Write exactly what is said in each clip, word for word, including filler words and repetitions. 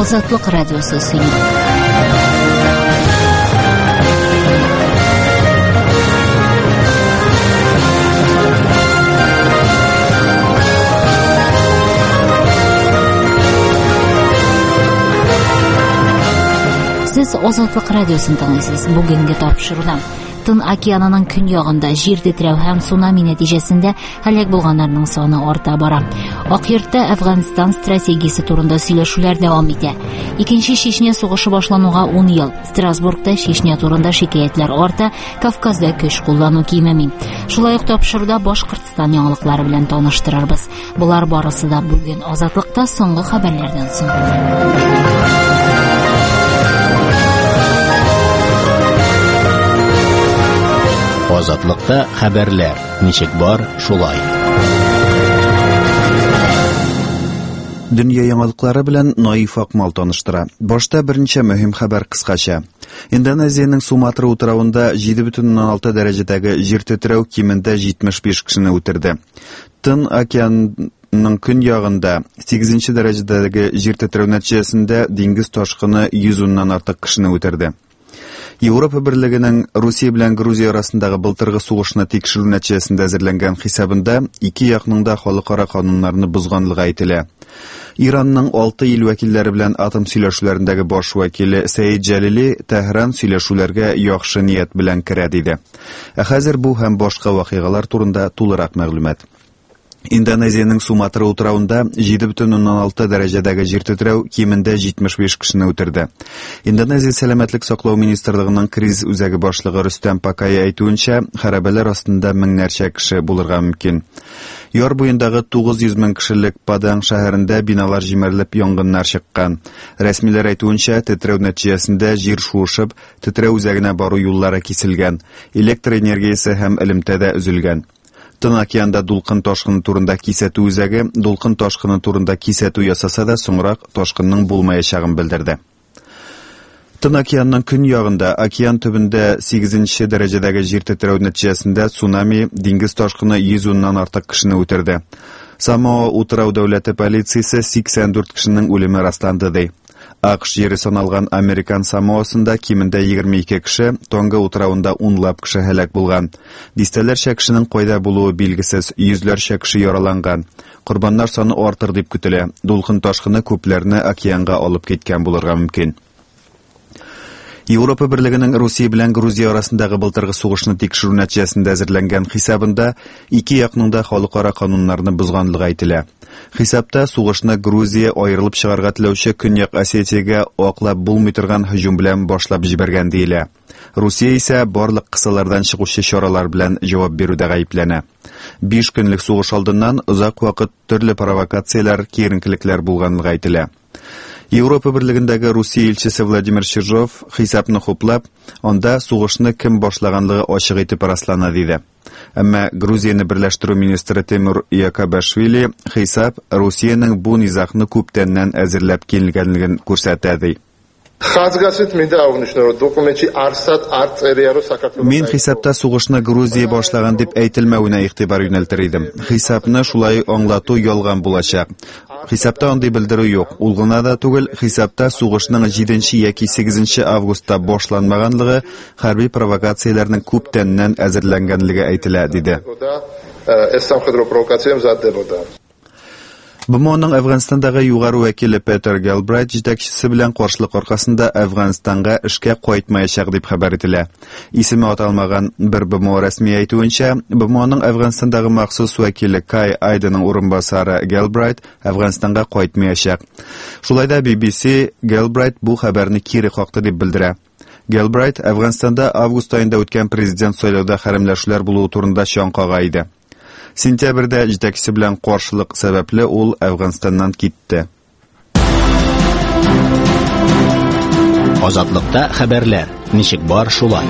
Азатлык радиосы сөйли. Сез Азатлык радиосын тыңлыйсыз. Бүгенге тапшыруда Тын океанының көньягында җир тетрәү һәм цунами нәтиҗәсендә һәлак булганнарның саны арта бара. Ак йортта Әфганстан стратегиясе турында сөйләшүләр дәвам итә. Икенче Чечня сугышы башлануга ун ел. Страсбургта Чечня турында шикаятьләр арта, Кавказда көч куллану кимеми. Шулай ук тапшыруда Башкортстан яңалыклары белән таныштырырбыз. Болар барысы да бүген Азатлыкта соңгы хәбәрләрдән соң. Азатлыкта хәбәрләр ничек бар, шулай. Дөнья яңалыклары белән Наиф Акмал таныштыра. Башта берничә мөһим хәбәр кыскача. Индонезиянең Суматра утравында җиде бөтен уннан алты дәрәҗәдәге җир тетрәү кимендә җитмеш биш кешене үтерде. Тын океанның көньягында сигезенче дәрәҗәдәге җир тетрәү нәтиҗәсендә диңгез ташкыны йөз уннан артык кешене үтерде. Европа Берлегенең Русия белән Грузия арасындагы былтыргы сугышны тикшерү нәтиҗәсендә әзерләнгән хисабында ике якның да халыкара кануннарны бозганлыгы әйтелә. Иранның алты ил вәкилләре белән атом сөйләшүләрендәге баш вәкиле Сәид Җәлили Тәһран сөйләшүләргә яхшы ният белән керә диде. Ә хәзер бу һәм башка вакыйгалар турында тулырак мәгълүмат. Индонезиянең Суматра утравында җиде бөтен уннан алты дәрәҗәдәге җир тетрәү кимендә җитмеш биш кешене үтерде. Индонезия сәламәтлек саклау министрлыгының кризис үзәге башлыгы Рөстәм Пакая әйтүенчә, хәрабәләр астында меңнәрчә кеше булырга мөмкин. Яр буендагы тугыз йөз мең кешелек Паданг шәһәрендә биналар җимерелеп янгыннар чыккан. Рәсмиләр әйтүенчә, тетрәү нәтиҗәсендә җир шуышып, тетрәү үзәгенә бару юллары киселгән, электр энергиясе һәм элемтә дә өзелгән. Тын океанда дулкын ташкыны турында кисәтү үзәге дулкын ташкыны турында кисәтү ясаса да соңрак ташкынның булмаячагын белдерде. Тын океанның көньягында океан төбендә сигезенче дәрәҗәдәге җир тетрәү нәтиҗәсендә цунами диңгез ташкыны йөз уннан артык кешене үтерде. Самоа утрау дәүләте полициясе сиксән дүрт кешенең үлеме расланды ди. АКШ җире саналган Американ Самоасында кимендә егерме ике кеше, Тонга утравында унлап кеше һәлак булган. Дистәләрчә кешенең кайда булуы билгесез, йөзләрчә кеше яраланган. Корбаннар саны артыр дип көтелә. Дулкын ташкыны күпләрне океанга алып киткән булырга мөмкин. Европа Берлегенең Русия белән Грузия арасындагы былтыргы сугышны тикшерү нәтиҗәсендә әзерләнгән хисабында ике якның да халыкара кануннарны бозганлыгы әйтелә. Хисапта сугышны Грузия аерылып чыгарга теләүче Көньяк Осетиягә аклап булмый торган һөҗүм белән башлап җибәргән диелә. Русия исә барлык кысалардан чыгучы чаралар белән җавап бирүдә гаепләнә. Биш көнлек сугыш алдыннан озак вакыт төрле провокацияләр, киеренкелекләр булганлыгы әйтелә. Европа Берлегендәге Русия илчесе Владимир Чижов хисапны хуплап, анда сугышны кем башлаганлыгы ачык итеп раслана диде. Әмма Грузияне берләштерү министры Тимур Якобашвили хисап Русиянең бу низагны күптәннән әзерләп килгәнлеген күрсәтә ди. ხაზგასმით მინდა აღვნიშნო, რომ დოკუმენტში არსად არ წერია, რომ საქართველო Мин хисапта сугышны Грузия башлаган дип әйтелмәвенә игътибар юнәлтер идем. Хисапны шулай аңлату ялган булачак. Хисапта андый белдерү юк. Ул гына да түгел, хисапта сугышның җиденче яки сигезенче августта башланмаганлыгы, хәрби провокацияләрнең күптәннән әзерләнгәнлеге әйтелә, диде. ეს სამხედრო პროვოკაცია მზადდებოდა. БМОның Әфганстандагы югары вәкиле Петер Гелбрайт җитәкчесе белән каршылык аркасында Әфганстанга эшкә кайтмаячак дип хәбәр ителә. Исеме аталмаган бер БМО рәсми әйтүенчә, БМОның Әфганстандагы махсус вәкиле Кай Айденның урынбасары Гелбрайт Әфганстанга кайтмаячак. Шулай да Би Би Си Гелбрайт бу хәбәрне кире какты дип белдерә. Гелбрайт Әфганстанда август аенда үткән президент сайлауда хәрәмләшүләр булуы турында чаң кага иде. Сентябрьдә җитәкчесе белән каршылык сәбәпле ул Әфганстаннан китте. Азатлыкта хәбәрләр ничек бар, шулай.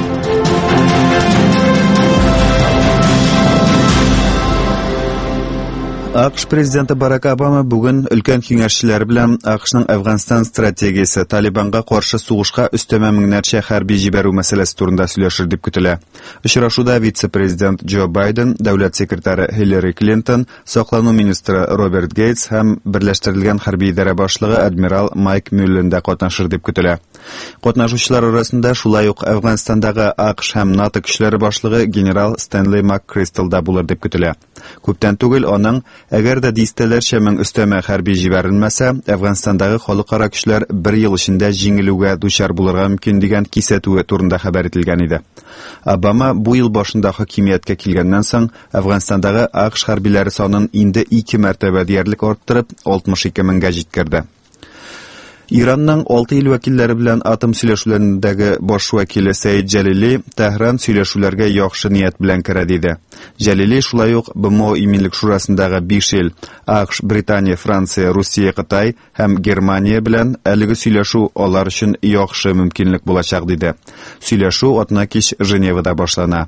А К Ш президенты Барак Обама бүген өлкән киңәшчеләр белән А К Шның Әфганстан стратегиясе, Талибанга каршы сугышка өстәмә меңнәрчә хәрби җибәрү мәсьәләсе турында сөйләшер дип көтелә. Очрашуда вице-президент Джо Байден, дәүләт секретаре Хиллари Клинтон, саклану министры Роберт Гейтс һәм Берләштерелгән хәрби идарә башлыгы адмирал Майк Мюллен дә катнашыр дип көтелә. Катнашучылар арасында шулай ук Әфганстандагы А К Ш һәм НАТО көчләре башлыгы генерал Стэнли МакКристал да булыр дип көтелә. Күптән түгел аның, әгәр дә дистәләрчә мең өстәмә хәрби җибәрелмәсә, Әфганстандагы халыкара көчләр бер ел эчендә җиңелүгә дучар булырга мөмкин дигән кисәтүе турында хәбәр ителгән иде. Обама бу ел башында хакимияткә килгәннән соң Әфганстандагы А К Ш хәрбиләре санын инде ике мәртәбә диярлек арттырып, алтмыш ике меңгә җиткерде. Иранның алты ил вәкилләре белән атом сөйләшүләрендәге баш вәкиле Сәид Җәлили Тәһран сөйләшүләргә яхшы ният белән керә диде. Җәлили шулай ук Б М О Иминлек шурасындагы биш ил А К Ш, Британия, Франция, Русия, Кытай һәм Германия белән әлеге сөйләшү алар өчен яхшы мөмкинлек булачак диде. Сөйләшү атна кич Женевада башлана.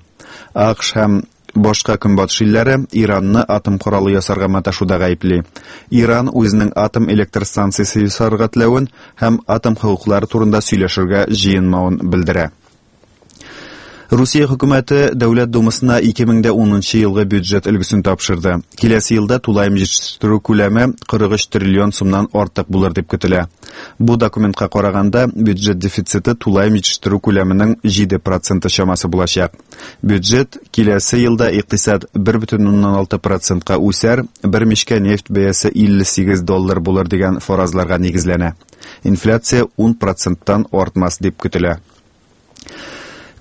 А К Ш һәм башка көнбатыш илләре Иранны атом коралы ясарга маташуда гаепли. Иран үзенең атом электр станциясе ясарга теләвен һәм атом хокуклары турында сөйләшергә җыенмавын белдерә. Русия хөкүмәте Дәүләт Думасына ике мең унынчы елгы бюджет өлгесен тапшырды. Киләсе елда тулаем җитештерү күләме кырык өч триллион сумнан артык булыр дип көтелә. Бу документка караганда, бюджет дефициты тулаем җитештерү күләменең җиде проценты чамасы булачак. Бюджет киләсе елда икътисад бер бөтен уннан алты процентка үсәр, бер мичкә нефть бәясе илле сигез доллар булыр дигән фаразларга нигезләнә. Инфляция ун проценттан артмас дип көтелә.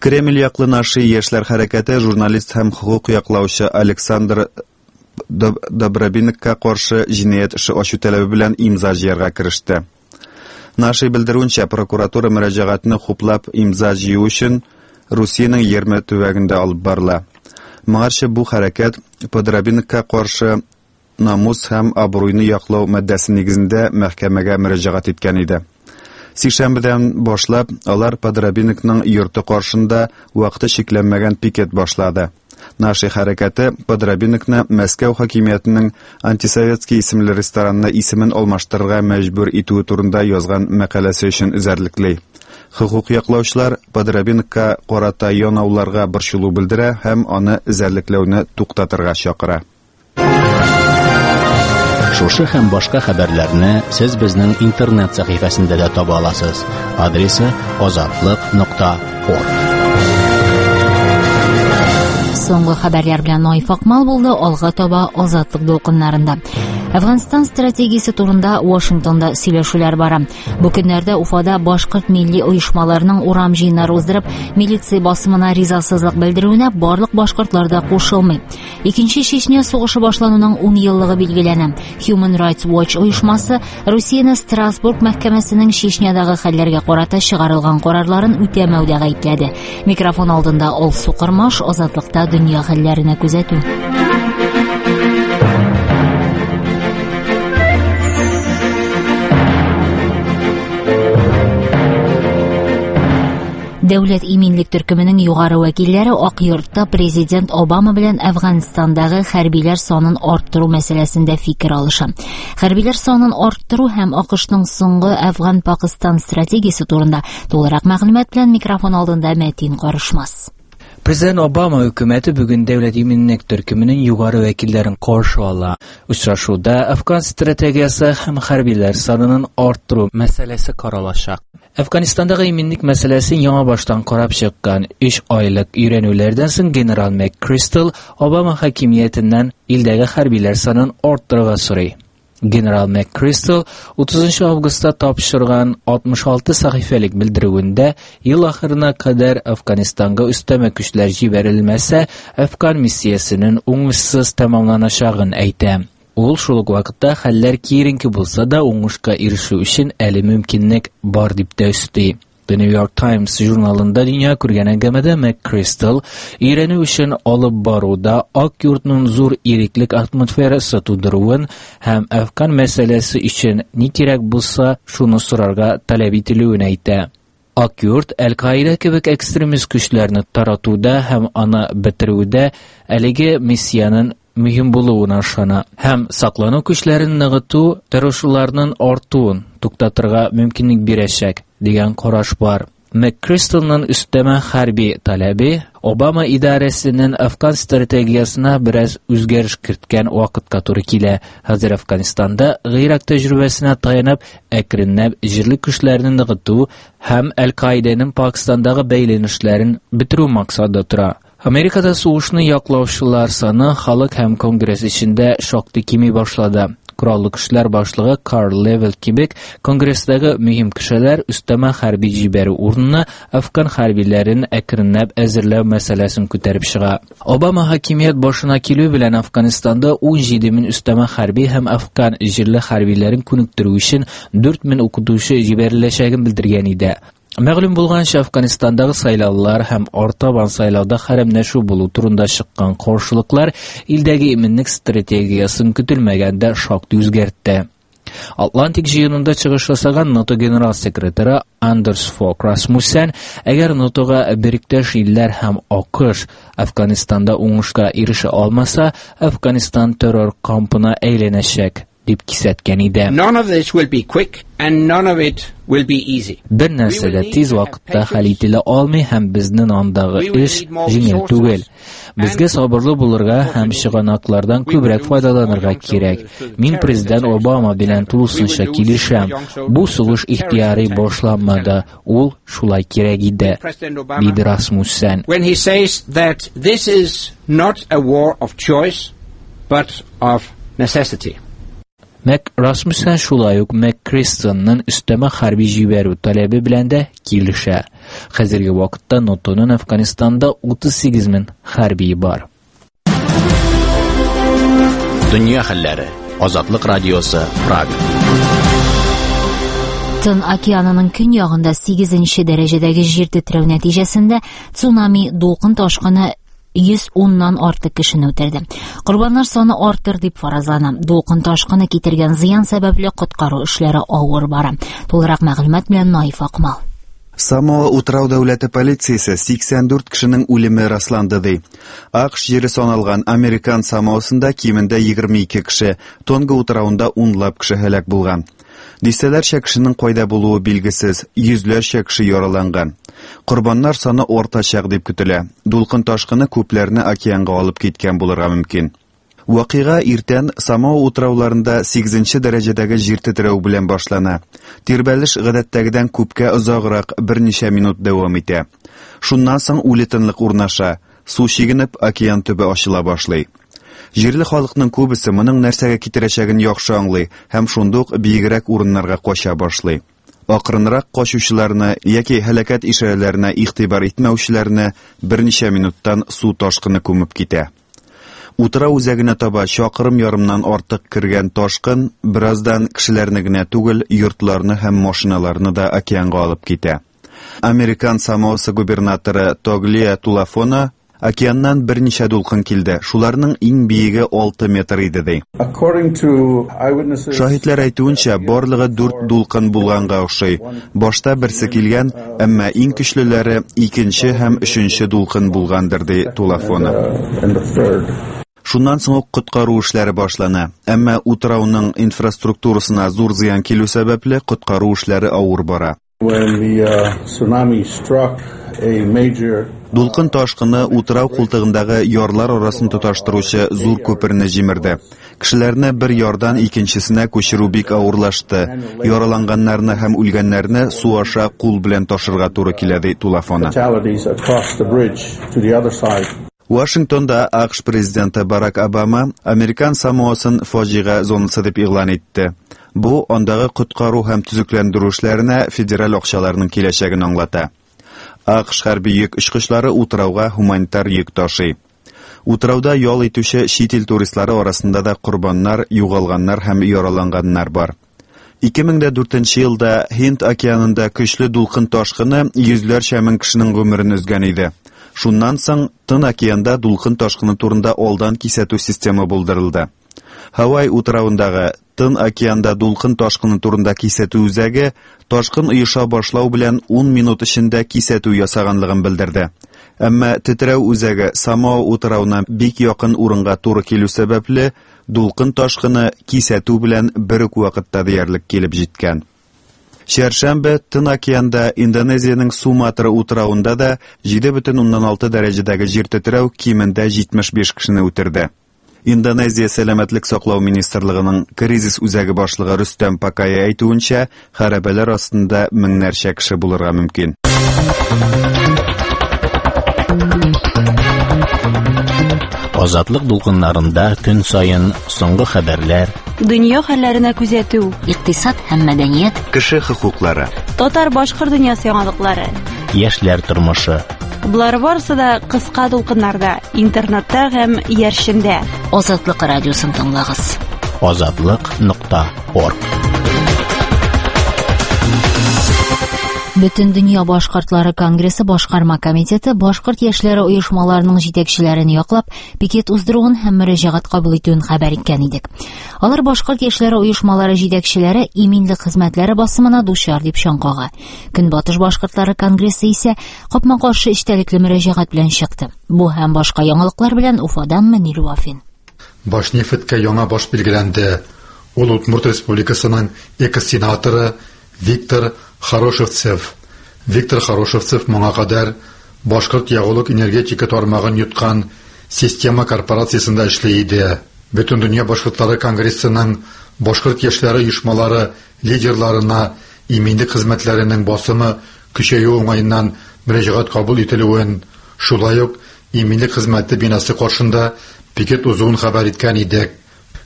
Кремль яклы Наши яшьләр хәрәкәте журналист һәм хокук яклаучы Александр Добробинокка каршы җинаять эше ачу таләбе белән имза җыярга кереште. Наши белдерүенчә, прокуратура мөрәҗәгатьне хуплап имза җыю өчен Русиянең егерме төбәгендә алып барыла. Моңарчы бу хәрәкәт Подрабинекка каршы намус һәм абруйны яклау маддәсе нигезендә мәхкәмәгә мөрәҗәгать иткән иде. Сишәмбедән башлап алар Подрабинекның йорты каршында вакыты чикләнмәгән пикет башлады. Наши хәрәкәте Подрабинекны Мәскәү хакимиятенең Антисоветский исемле ресторанына исемен алмаштырырга мәҗбүр итүе турында язган мәкаләсе өчен эзәрлекли. Хокук яклаучылар Подрабинекка карата янауларга борчылу белдерә һәм аны эзәрлекләүне туктатырга чакыра. Шушы һәм башка хәбәрләрне сез безнең интернет сәхифәсендә дә таба аласыз. Адресы азатлык нокта орг. Соңгы хәбәрләр белән Наиф Акмал булды, алга таба Азатлык дулкыннарында. Әфганстан стратегиясе турында Вашингтонда сөйләшүләр бара. Бу көннәрдә Уфада башкорт милли оешмаларының урам җыеннары уздырып, милиция басымына ризасызлык белдерүенә барлык башкортлар да кушылмый. Икенче Чечня сугышы башлануның ун еллыгы билгеләнә. Human Rights Watch оешмасы Русияне Страсбург мәхкәмәсенең Чечнядагы хәлләргә карата чыгарылган карарларын үтәмәүдә гаепләде. Микрофон алдында Алсу Кырмаш, Азатлыкта дөнья хәлләренә күзәтү. Дәүләт иминлек төркеменең югары вәкилләре Ак йортта президент Обама белән Әфганстандагы хәрбиләр санын арттыру мәсьәләсендә фикер алыша. Хәрбиләр санын арттыру һәм А К Шның соңгы Әфган-Пакыстан стратегиясе турында тулырак мәгълүмат белән микрофон алдында Мәтин Карышмас. Президент Обама хөкүмәте бүген Дәүләт иминлек төркеменең югары вәкилләрен каршы ала. Очрашуда Әфган стратегиясе һәм хәрбиләр санын арттыру мәсьәләсе каралачак. Әфганстандагы иминлек мәсьәләсен яңа баштан карап чыккан өч айлык өйрәнүләрдән соң генерал МакКристал Обама хакимиятеннән илдәге хәрбиләр санын арттырырга сорый. Генерал МакКристал утызынчы августта тапшырган алтмыш алты сәхифәлек белдерүендә ел ахырына кадәр Әфганстанга өстәмә көчләр җибәрелмәсә, Әфган миссиясенең уңышсыз тәмамланачагын әйтә. Ул шул ук вакытта хәлләр киеренке булса да, уңышка ирешү өчен әле мөмкинлек бар дип тә өсти. The New York Times журналында дөнья күргән әңгәмәдә МакКристал өйрәнү эшен алып баруда Ак йортның зур иреклек атмосферасы тудыруын һәм Әфган мәсьәләсе өчен ни кирәк булса, шуны сорарга таләп ителүен әйтә. Ак йорт Әл-Каида кебек экстремист көчләрне таратуда һәм аны бетерүдә әлеге миссиянең мөһим булуына ышана һәм саклану көчләрен ныгыту террорчыларның артуын туктатырга мөмкинлек бирәчәк дигән караш бар. МакКристалның өстәмә хәрби таләбе Обама идарәсенең Афган стратегиясенә бераз үзгәреш керткән вакытка туры килә. Хәзер Афганистанда Гыйрак тәҗрибәсенә таянып, әкренләп җирле көчләрне ныгыту һәм Әл-Каиданың Пакистандагы бәйләнешләрен бетерү максаты тора. Америкада сугышны яклаучылар саны халык һәм Конгресс эчендә шактый кими башлады. Кораллы көчләр башлыгы Карл Левел кебек Конгресстагы мөһим кешеләр өстәмә хәрби җибәрү урынына афган хәрбиләрен әкренләп әзерләү мәсьәләсен күтәреп чыга. Обама хакимият башына килү белән Афганистанда ун җиде мең өстәмә хәрби һәм афган җирле хәрбиләрен күнектерү өчен дүрт мең укытучы җибәреләчәген белдергән иде. Мәгълүм булганча, Афганистандагы сайлаулар һәм артабан сайлауда хәрәмләшү булу турында чыккан каршылыклар илдәге иминлек стратегиясын көтелмәгәндә шактый үзгәртте. Атлантик җыенында чыгыш ясаган НАТО генерал-секретаре Андерс Фог Расмуссен, әгәр НАТОга беректәш илләр һәм АКШ Афганистанда уңышка ирешә алмаса, Афганистан террор кампына әйләнәчәк дип кисәткән иде. None of this will be quick and none of it will be easy. Бер нәрсә дә тиз вакытта хәл ителә алмый һәм безнең андагы эш җиңел түгел. Безгә сабырлы булырга һәм чыганаклардан күбрәк файдаланырга кирәк. Мин президент Обама белән тулысынча килешәм. Бу сугыш ихтыяри башланмады. Ул шулай кирәк иде, диде Расмуссен. When he says that this is not a war of choice, but of necessity. Мак Расмуссен шулай ук МакКристалның өстәмә хәрби җибәрү таләбе белән дә килешә. Хәзерге вакытта НАТОның Афганистанда утыз сигез мең хәрби бар. Дөнья хәлләре. Азатлык радиосы, Прага. Тын океанының көньягында сигезенче дәрәҗәдәге җир тетрәү нәтиҗәсендә цунами дулкын ташкыны йөз уннан артык кешене үтерде. Корбаннар саны артыр дип фаразлана. Дулкын ташкыны китергән зыян сәбәпле коткару эшләре авыр бара. Тулырак мәгълүмат белән Наиф Акмал. Самоа утрау дәүләте полициясе сиксән дүрт кешенең үлеме расланды ди. АКШ җире саналган Американ Самоасында кимендә егерме ике кеше, Тонга утрауында унлап кеше һәлак булган. Дистәләрчә кешенең кайда булуы билгесез, йөзләрчә кеше яраланган. Корбаннар саны артачак дип көтелә. Дулкын ташкыны күпләрне океанга алып киткән булырга мөмкин. Вакыйга иртән Самоа утрауларында сигезенче дәрәҗәдәге җир тетрәү белән башлана. Тирбәлеш гадәттәгедән күпкә озаграк берничә минут дәвам итә. Шуннан соң үле тынлык урнаша, су чигенеп океан төбе ачыла башлый. Җирле халыкның күбесе моның нәрсәгә китерәчәген яхшы аңлый һәм шундук биегрәк урыннарга кача башлый. Акрынрак качучыларны яки һәлакәт ишарәләренә игътибар итмәүчеләрне берничә минуттан су ташкыны күмеп китә. Утрау үзәгенә таба чакрым ярымнан артык кергән ташкын бераздан кешеләрне генә түгел, йортларны һәм машиналарны да океанга алып китә. Американ Самоасы губернаторы Тоглия Тулафона океаннан берничә дулкын килде. Шуларның иң биеге алты метр иде ди. Шаһитләр әйтүенчә, барлыгы дүрт дулкын булганга охшый. Башта берсе килгән, әмма иң көчлеләре икенче һәм өченче дулкын булгандыр ди Тулафона. Шуннан соң ук коткару эшләре башлана. Әмма утрауның инфраструктурасына зур зыян килү сәбәпле коткару эшләре авыр бара. When the, uh, tsunami struck a major Дулкын ташкыны утрау култыгындагы ярлар арасын тоташтыручы зур күперне җимерде. Кешеләрне бер ярдан икенчесенә күчерү бик авырлашты. Яраланганнарны һәм үлгәннәрне су аша кул белән ташырга туры килә, ди Тулафона. Fatalities across the bridge to the other side. Вашингтонда АКШ президенты Барак Обама Американ Самоасын фаҗига зонасы дип игълан итте. Бу андагы коткару һәм төзекләндерү эшләренә федераль акчаларның киләчәген аңлата. АКШ хәрби йөк очкычлары утрауга гуманитар йөк ташый. Утрауда ял итүче чит ил туристлары арасында да корбаннар, югалганнар һәм яраланганнар бар. Ике мең дә дүртенче елда Һинд океанында көчле дулкын ташкыны йөзләрчә мең кешенең гомерен өзгән иде. Шуннан соң Тын океанда дулкын ташкыны турында алдан кисәтү системы булдырылды. Һавай утравындагы Тын океанда дулкын ташкыны турында кисәтү үзәге ташкын оеша башлау белән ун минут эчендә кисәтү ясаганлыгын белдерде. Әмма тетрәү үзәге Самоа утравына бик якын урынга туры килү сәбәпле, дулкын ташкыны кисәтү белән бер үк вакытта диярлек килеп җиткән. Чәршәмбе Тын океанда Индонезиянең Суматра утравында да җиде бөтен уннан алты дәрәҗәдәге җир тетрәү кимендә җитмеш биш кешене үтерде. Индонезия Сәламәтлек саклау министрлыгының кризис үзәге башлыгы Рөстәм Пакая әйтүенчә, хәрабәләр астында меңнәрчә кеше булырга мөмкин. Азатлык дулкыннарында көн саен соңгы хәбәрләр, дөнья хәлләренә күзәтү, икътисад һәм мәдәният, кеше хокуклары, татар-башкорт дөньясы яңалыклары, яшьләр тормышы. Болар барысы да кыска дулкыннарда, интернетта һәм иярчендә. Азатлык радиосын тыңлагыз. Азатлык нокта орг. Бөтен дөнья башкортлары конгрессы башкарма комитеты башкорт яшьләре оешмаларының җитәкчеләрен яклап пикет уздыруын һәм мөрәҗәгать кабул итүен хәбәр иткән идек. Алар башкорт яшьләре оешмалары җитәкчеләре иминлек хезмәтләре басымына дучар дип чаң кага. Көнбатыш башкортлары конгрессы исә капма-каршы эчтәлекле мөрәҗәгать белән чыкты. Бу һәм башка яңалыклар белән Уфадан Мөнир Вафин. Башнефтькә яңа баш билгеләнде. Ул Удмурт Республикасының экс-сенаторы Виктор Хорошевцев. Виктор Хорошевцев моңа кадәр башкорт ягулык энергетика тармагын йоткан система корпорациясендә эшли иде. Бөтен дөнья башкортлары конгрессының башкорт яшьләре оешмалары лидерларына иминлек хезмәтләренең басымы көчәюе уңаеннан мөрәҗәгать кабул ителүен, шулай ук иминлек хезмәте бинасы каршында пикет узуын хәбәр иткән идек.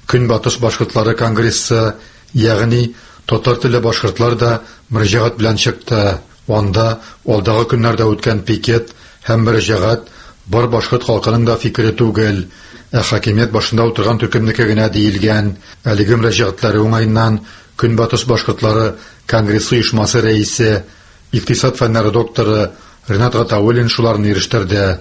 Көнбатыш башкортлары конгрессы, ягъни татар телле башкортлар да мөрәҗәгать белән чыкты. Анда алдагы көннәрдә үткән пикет һәм мөрәҗәгать бар башкорт халкының да фикере түгел, ә хакимият башында утырган төркемнеке генә диелгән. Әлеге мөрәҗәгатьләре уңаеннан Көнбатыш башкортлары конгрессы оешмасы рәисе, икътисад фәннәре докторы Ринат Гатауллин шуларны ирештерде.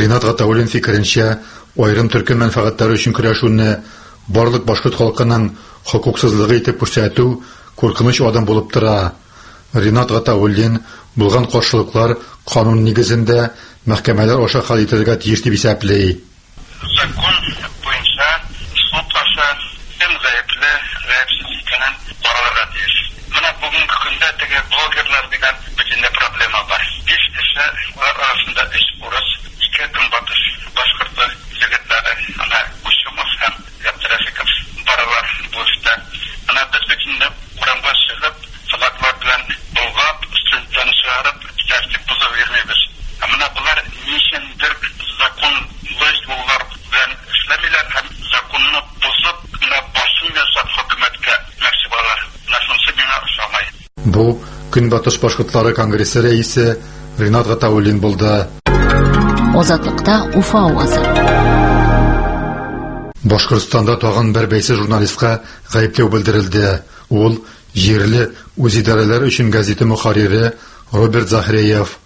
Ринат Гатауллин фикеренчә, аерым төркем мәнфәгатьләре өчен көрәшүне барлык башкорт халкының хокуксызлыгы итеп күрсәтү куркыныч адым булып тора. Ринат Гатауллин булган каршылыклар канун нигезендә мәхкәмәләр аша хәл ителергә тиеш дип исәпли. Закон буенча суд аша кем гаепле, гаепсез икәнен каралырга тиеш. Менә бүгенге көндә теге блогерлар дигән бөтенләй проблема бар. Биш кеше, алар арасында өч урыс, ике көнбатыш башкорты егетләре, ана Кучумов һәм Габдрәфиков баралар бу эштә. Ана без бөтенләй урамга чыгып, флаглар белән болгап, студентларны чыгарып, тәртип бозып йөрмибез. Ә менә болар ни өчендер законлы юллар белән эшләмиләр һәм законны бозып, менә басым ясап хөкүмәткә нәрсә балар. Менә шунысы миңа ошамай. Бу Көнбатыш башкортлары конгрессы рәисе Ринат Гатауллин булды. Азатлыкта Уфа авазы. Башкортстанда тагын бер бәйсез журналистка гаепләү белдерелде. Ул җирле үзидарәләр өчен газета мөхәррире Роберт Захреев.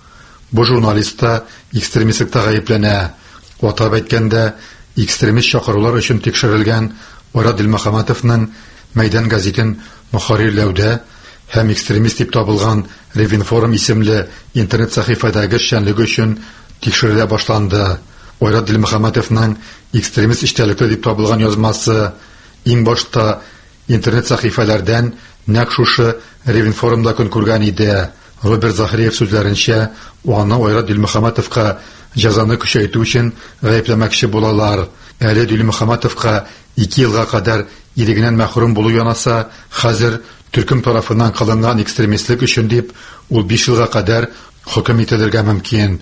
Бу журналист та экстремистлыкта гаепләнә. Атап әйткәндә, экстремист чакырулар өчен тикшерелгән Айрат Дилмөхәммәтовның Мәйдан газетын мөхәррирләүдә һәм экстремист дип табылган Ревинформ исемле интернет сәхифәдәге эшчәнлеге өчен тикшерелә башланды. Айрат Дилмөхәммәтовның экстремист эчтәлекле дип табылган язмасы. Иң башта интернет сәхифәләрдән нәкъ шушы Ревинформда көн күргән иде. Роберт Захариев сүзләренчә, аны Айрат Дилмөхәммәтовка җәзаны көчәйтү өчен гаепләмәкче булалар. Әле Дилмөхәммәтовка ике елга кадәр ирегеннән мәхрүм булу янаса, хәзер төркем тарафыннан кылынган экстремистлек өчен дип ул биш елга кадәр хөкем ителергә мөмкин.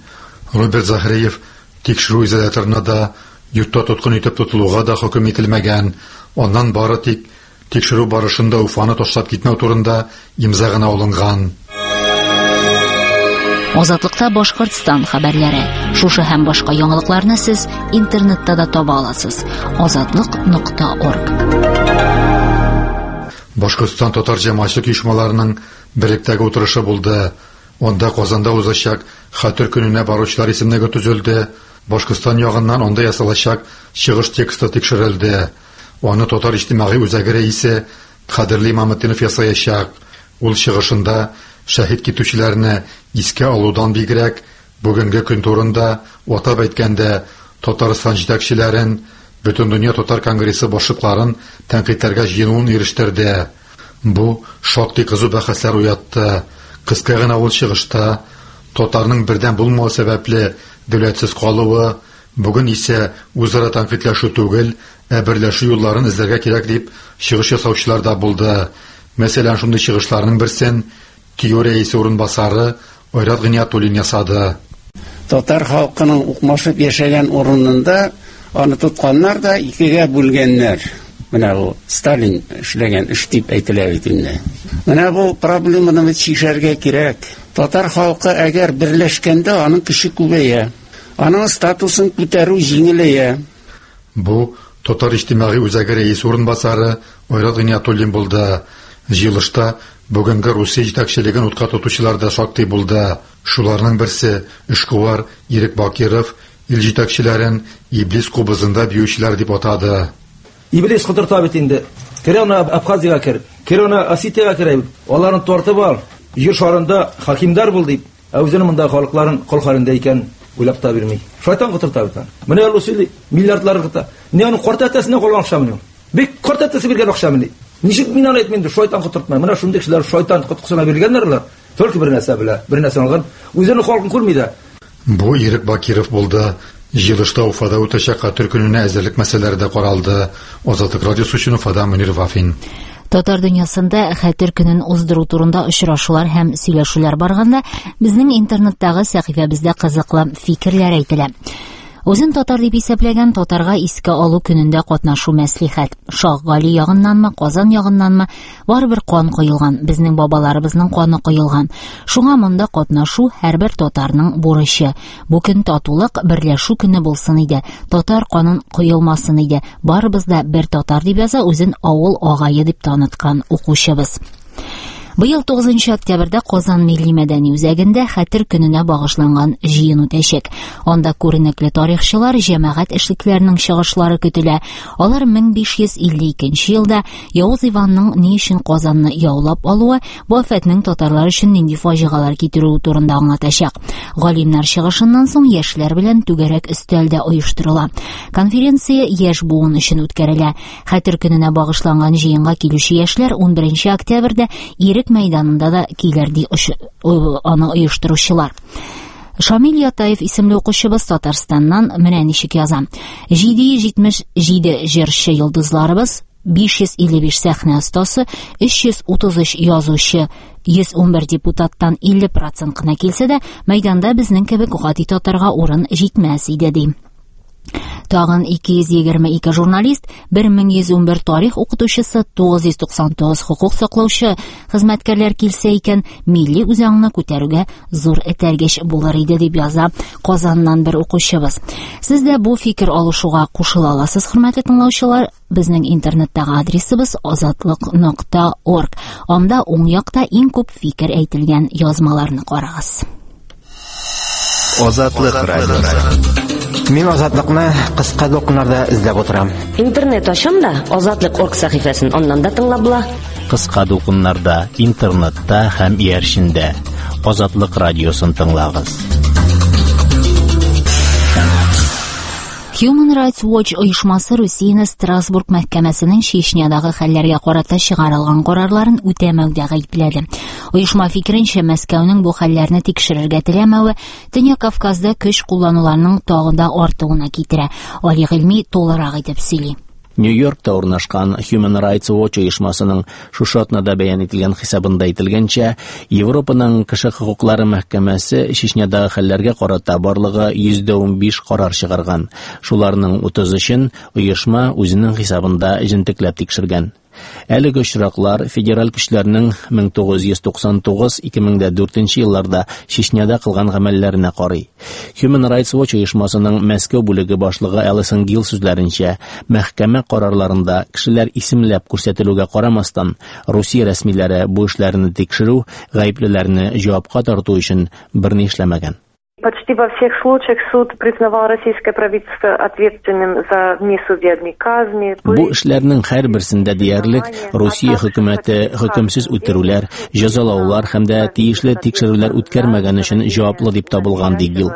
Роберт Захариев тикшерү изоляторына да, йортта тоткын итеп тотылуга да хөкем ителмәгән. Аннан бары тик тикшерү барышында Уфаны ташлап китмәү турында имза гына алынган. Азатлыкта Башкортстан хәбәрләре. Шушы һәм башка яңалыкларны сез интернетта да таба аласыз. азатлык нокта орг. Башкортстан татар җәмәгатьчелек оешмаларының берлектәге утырышы булды. Анда Казанда узачак Хәтер көненә баручылар исемлеге төзелде. Башкортстан ягыннан анда ясалачак чыгыш тексты тикшерелде. Аны Татар иҗтимагый үзәге рәисе Кадерли Имаметдинов ясаячак. Ул чыгышында шәһит китүчеләрне искә алудан бигрәк бүгенге көн турында, атап әйткәндә, Татарстан җитәкчеләрен, Бөтендөнья татар конгрессы башлыкларын тәнкыйтьләргә җыенуын ирештерде. Бу шактый кызу бәхәсләр уятты. Кыска гына ул чыгышта татарның бердәм булмавы сәбәпле дәүләтсез калуы, бүген исә үзара тәнкыйтьләшү түгел, ә берләшү юлларын эзләргә кирәк дип чыгыш ясаучылар да булды. Мәсәлән, шундый чыгышларның берсен ТИЮ рәисе урынбасары Айрат Гыйниятуллин ясады. Татар халкының укмашып яшәгән урынында аны тотканнар да икегә бүлгәннәр. Менә бу Сталин эшләгән эш дип әйтелә бит инде. Менә бу проблеманы бит чишәргә кирәк. Татар халкы әгәр берләшкәндә аның көче күбәя. Аның статусын күтәрү җиңеләя. Бу Татар иҗтимагый үзәге рәисе урынбасары Айрат Гыйниятуллин булды. Җыелышта бүгенге Русия җитәкчелеген утка тотучылар да шактый булды. Шуларның берсе эшкуар Ирек Бакиров ил җитәкчеләрен иблис кубызында биючеләр дип атады. Иблис котырта бит инде. Кер аны Абхазиягә кер, кер аны Осетиягә кер. Аларны тартып ал. Җир шарында хакимдар бул дип, ә үзенең монда халыкларын кол хәлендә икән уйлап та бирми. Шайтан котырта бит аны. Менә ул сөйли, миллиардлар кыта. Ни аның карт әтәсенә калган акчамыни ул? Бик карт әтәсе биргән акчамыни? Ничек мин аны әйтмим инде, шайтан котыртмай. Менә шундый кешеләр шайтан коткысына биргәннәр алар. Только бер нәрсә белә, бер нәрсә алган, үзенең халкын күрми дә. Бу Ирек Бакиров булды. Җыелышта Уфада үтәчәк Хәтер көненә әзерлек мәсьәләләре дә каралды. Азатлык радиосы өчен Уфада Мөнир Вафин. Татар дөньясында Хәтер көнен уздыру турында очрашулар һәм сөйләшүләр барганда, безнең интернеттагы сәхифәбездә кызыклы фикерләр әйтелә. Үзен татар дип исәпләгән татарга искә алу көнендә катнашу мәслихәт. Шаһ Гали ягыннанмы, Казан ягыннанмы, барыбер кан коелган, безнең бабаларыбызның каны коелган. Шуңа монда катнашу һәрбер татарның бурычы. Бу көн татулык, берләшү көне булсын иде. Татар канын коелмасын иде. Барыбыз да бер татар дип яза үзен авыл агае дип таныткан укучыбыз. Быел тугызынчы октябрьдә Казан милли мәдәни үзәгендә Хәтер көненә багышланган җыен үтәчәк. Анда күренекле тарихчылар, җәмәгать эшлекләренең чыгышлары көтелә. Алар мең биш йөз илле икенче елда Явыз Иванның ни өчен Казанны яулап алуы, бу афәтнең татарлар өчен нинди фаҗигалар китерүе турында аңлатачак. Галимнәр чыгышыннан соң яшьләр белән түгәрәк өстәл дә оештырыла. Конференция яшь буын өчен үткәрелә. Хәтер көненә багышланган җыенга килүче яшьләр унберенче октябрьдә Ирек мәйданында да килер ди аны оештыручылар. Шамил Ятаев исемле укучыбыз Татарстаннан менә ничек яза. Җиде йөз җитмеш җиде җырчы йолдызларыбыз, биш йөз илле биш сәхнә остасы, өч йөз утыз өч язучы, йөз унбер депутаттан илле процент кына килсә дә, мәйданда безнең кебек гади татарга урын җитмәс иде ди. Тагын ике йөз егерме ике журналист, бер мең йөз унбер тарих укытучысы, тугыз йөз туксан тугыз хукук саклаучы хезмәткәрләр килсә икән, милли үзаңны күтәрүгә зур этәргеч булыр иде дип яза Казаннан бер укучыбыз. Сез дә бу фикер алышуга кушыла аласыз, хөрмәтле тыңлаучылар. Безнең интернеттагы адресыбыз азатлык нокта орг. Анда уң якта иң күп фикер әйтелгән язмаларны карагыз. Азатлык радиосы. Мин Азатлыкны кыска дулкыннарда эзләп утырам. Интернет ачам да Азатлык орг сәхифәсен аннан да тыңлап була. Кыска дулкыннарда, интернетта һәм иярчендә Азатлык радиосын тыңлагыз. Human Rights Watch оешмасы Русияне Страсбург мәхкәмәсенең Чечнядагы хәлләргә карата чыгарылган карарларын үтәмәүдә гаепләде. Оешма фикеренчә, Мәскәүнең бу хәлләрне тикшерергә теләмәве Төньяк Кавказда көч куллануларның тагын да артуына китерә. Али Гыйльми тулырак итеп сөйли. Нью-Йоркта урнашкан Human Rights Watch оешмасының шушы атнада бәян ителгән хисабында әйтелгәнчә, Европаның кеше хокуклары мәхкәмәсе Чечнядагы хәлләргә карата барлыгы йөз дә унбиш карар чыгарган. Шуларның утыз өчен оешма үзенең хисабында җентекләп тикшергән. Әлеге очраклар федераль көчләрнең мең тугыз йөз туксан тугыз ике мең дә дүртенче елларда Чечняда кылган гамәлләренә карый. Human Rights Watch оешмасының Мәскәү бүлеге башлыгы Алисон Гилл сүзләренчә, мәхкәмә карарларында кешеләр исемләп күрсәтелүгә карамастан, Русия рәсмиләре бу эшләрне тикшерү, гаеплеләрне җавапка тарту өчен берни эшләмәгән. Почти во всех случаях суд признавал российское правительство ответственным за внесудебные казни. Бу эшләрнең һәрберсендә диярлек Русия хөкүмәте хөкемсез үтерүләр, җәзалаулар һәм дә тиешле тикшерүләр үткәрмәгән өчен җаваплы дип табылган, ди Гилл.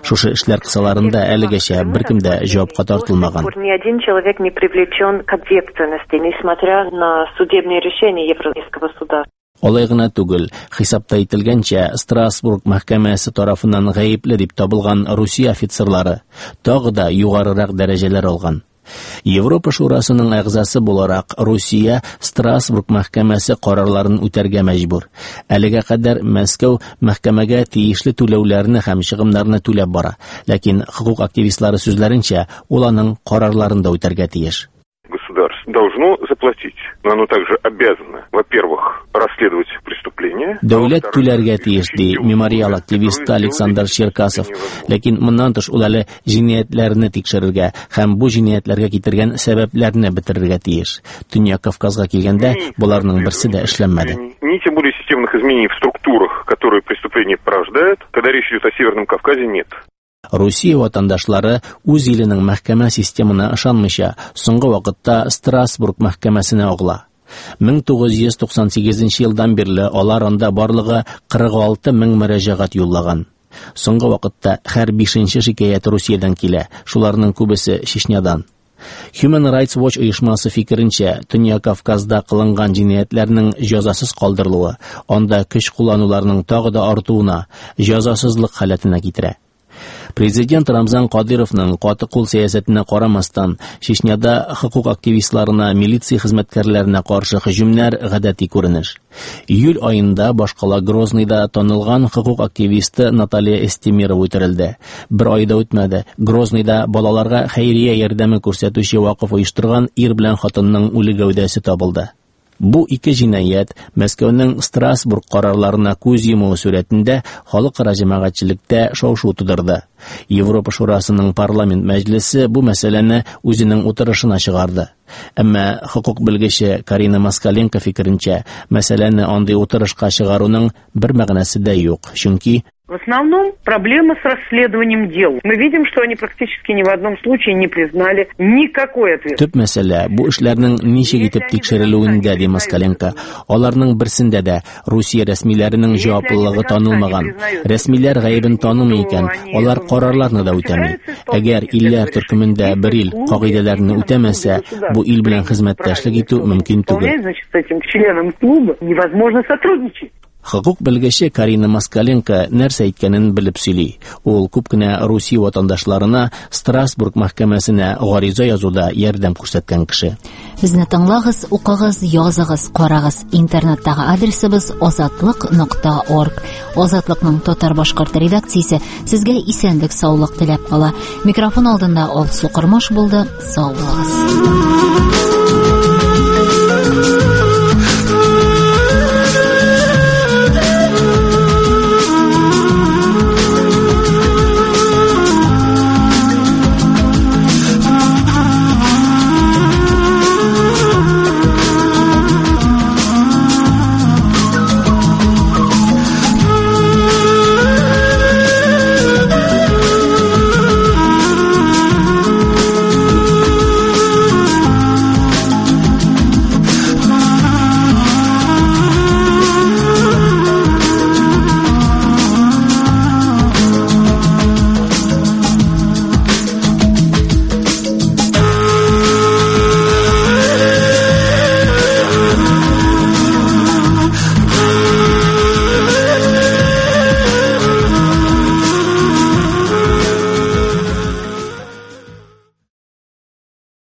Шушы эшләр кысаларында әлегәчә беркем дә җавапка тартылмаган. Ни один человек не привлечен к ответственности, несмотря на судебные решения Европейского суда. Алай гына түгел, хисапта әйтелгәнчә, Страсбург мәхкәмәсе тарафыннан гаепле дип табылган Русия офицерлары тагы да югарырак дәрәҗәләр алган. Европа Шурасының әгъзасы буларак Русия Страсбург мәхкәмәсе карарларын үтәргә мәҗбүр. Әлегә кадәр Мәскәү мәхкәмәгә тиешле түләүләрне һәм чыгымнарны түләп бара, ләкин хокук активистлары сүзләренчә, ул аның карарларын да үтәргә тиеш. Государство должно заплатить, но оно также обязано, во-первых, расследовать преступление. Дәүләт түләргә тиеш, ди мемориал активисты Александр Черкасов. Ләкин моннан тыш ул әле җинаятьләрне тикшерергә һәм бу җинаятьләргә китергән сәбәпләрне бетерергә тиеш. Төньяк Кавказга килгәндә, боларның берсе дә эшләнмәде. Ни тем более системных изменений в структурах, которые преступления порождают, когда речь идет о Северном Кавказе, нет. Русия ватандашлары үз иленең мәхкәмә системына ышанмыйча, соңгы вакытта Страсбург мәхкәмәсенә агыла. мең тугыз йөз туксан сигезенче елдан бирле алар анда барлыгы кырык алты мең мөрәҗәгать юллаган. Соңгы вакытта һәр бишенче шикаять Русиядән килә, шуларның күбесе Чечнядан. Human Rights Watch оешмасы фикеренчә, Төньяк Кавказда кылынган җинаятьләрнең җәзасыз калдырылуы, анда көч куллануларның тагы да артуына, җәзасызлык халәтенә китерә. Президент Рамзан Кадыровның каты кул сәясәтенә карамастан, Чечняда хокук активистларына, милиция хезмәткәрләренә каршы һөҗүмнәр гадәти күренеш. Июль аенда башкала Грозныйда танылган хокук активисты Наталья Эстемирова үтерелде. Бер ай да үтмәде, Грозныйда балаларга хәйрия ярдәме күрсәтүче вакыф оештырган ир белән хатынның үле гәүдәсе табылды. Бу ике җинаять Мәскәүнең Страсбург карарларына күз йомуы сурәтендә халыкара җәмәгатьчелектә шау-шу тудырды. Европа Шурасының парламент мәҗлесе бу мәсьәләне үзенең утырышына чыгарды. Әмма хокук белгече Карина Москаленко фикеренчә, мәсьәләне андый утырышка чыгаруның бер мәгънәсе дә юк, чөнки В основном проблема с расследованием дел. Мы видим, что они практически ни в одном случае не признали никакой ответ. Төп мәсьәлә бу эшләрнең ничек итеп тикшерелүендә, ди Москаленко. Аларның берсендә дә Русия рәсмиләренең җаваплылыгы танылмаган. Рәсмиләр гаебен танымый икән, алар карарларны да үтәми. Әгәр илләр төркемендә бер ил кагыйдәләрне үтәмәсә, бу ил белән хезмәттәшлек итү мөмкин түгел. Значит, с этим членом клуба невозможно сотрудничать. Хокук белгече Карина Москаленко нәрсә әйткәнен белеп сөйли. Ул күп кенә Русия ватандашларына Страсбург мәхкәмәсенә гариза язуда ярдәм күрсәткән кеше. Безне тыңлагыз, укыгыз, языгыз, карагыз. Интернеттагы адресыбыз азатлык нокта орг. Азатлыкның татар-башкорт редакциясе сезгә исәнлек, саулык теләп кала. Микрофон алдында Алсу Кормаш булды. Сау булыгыз.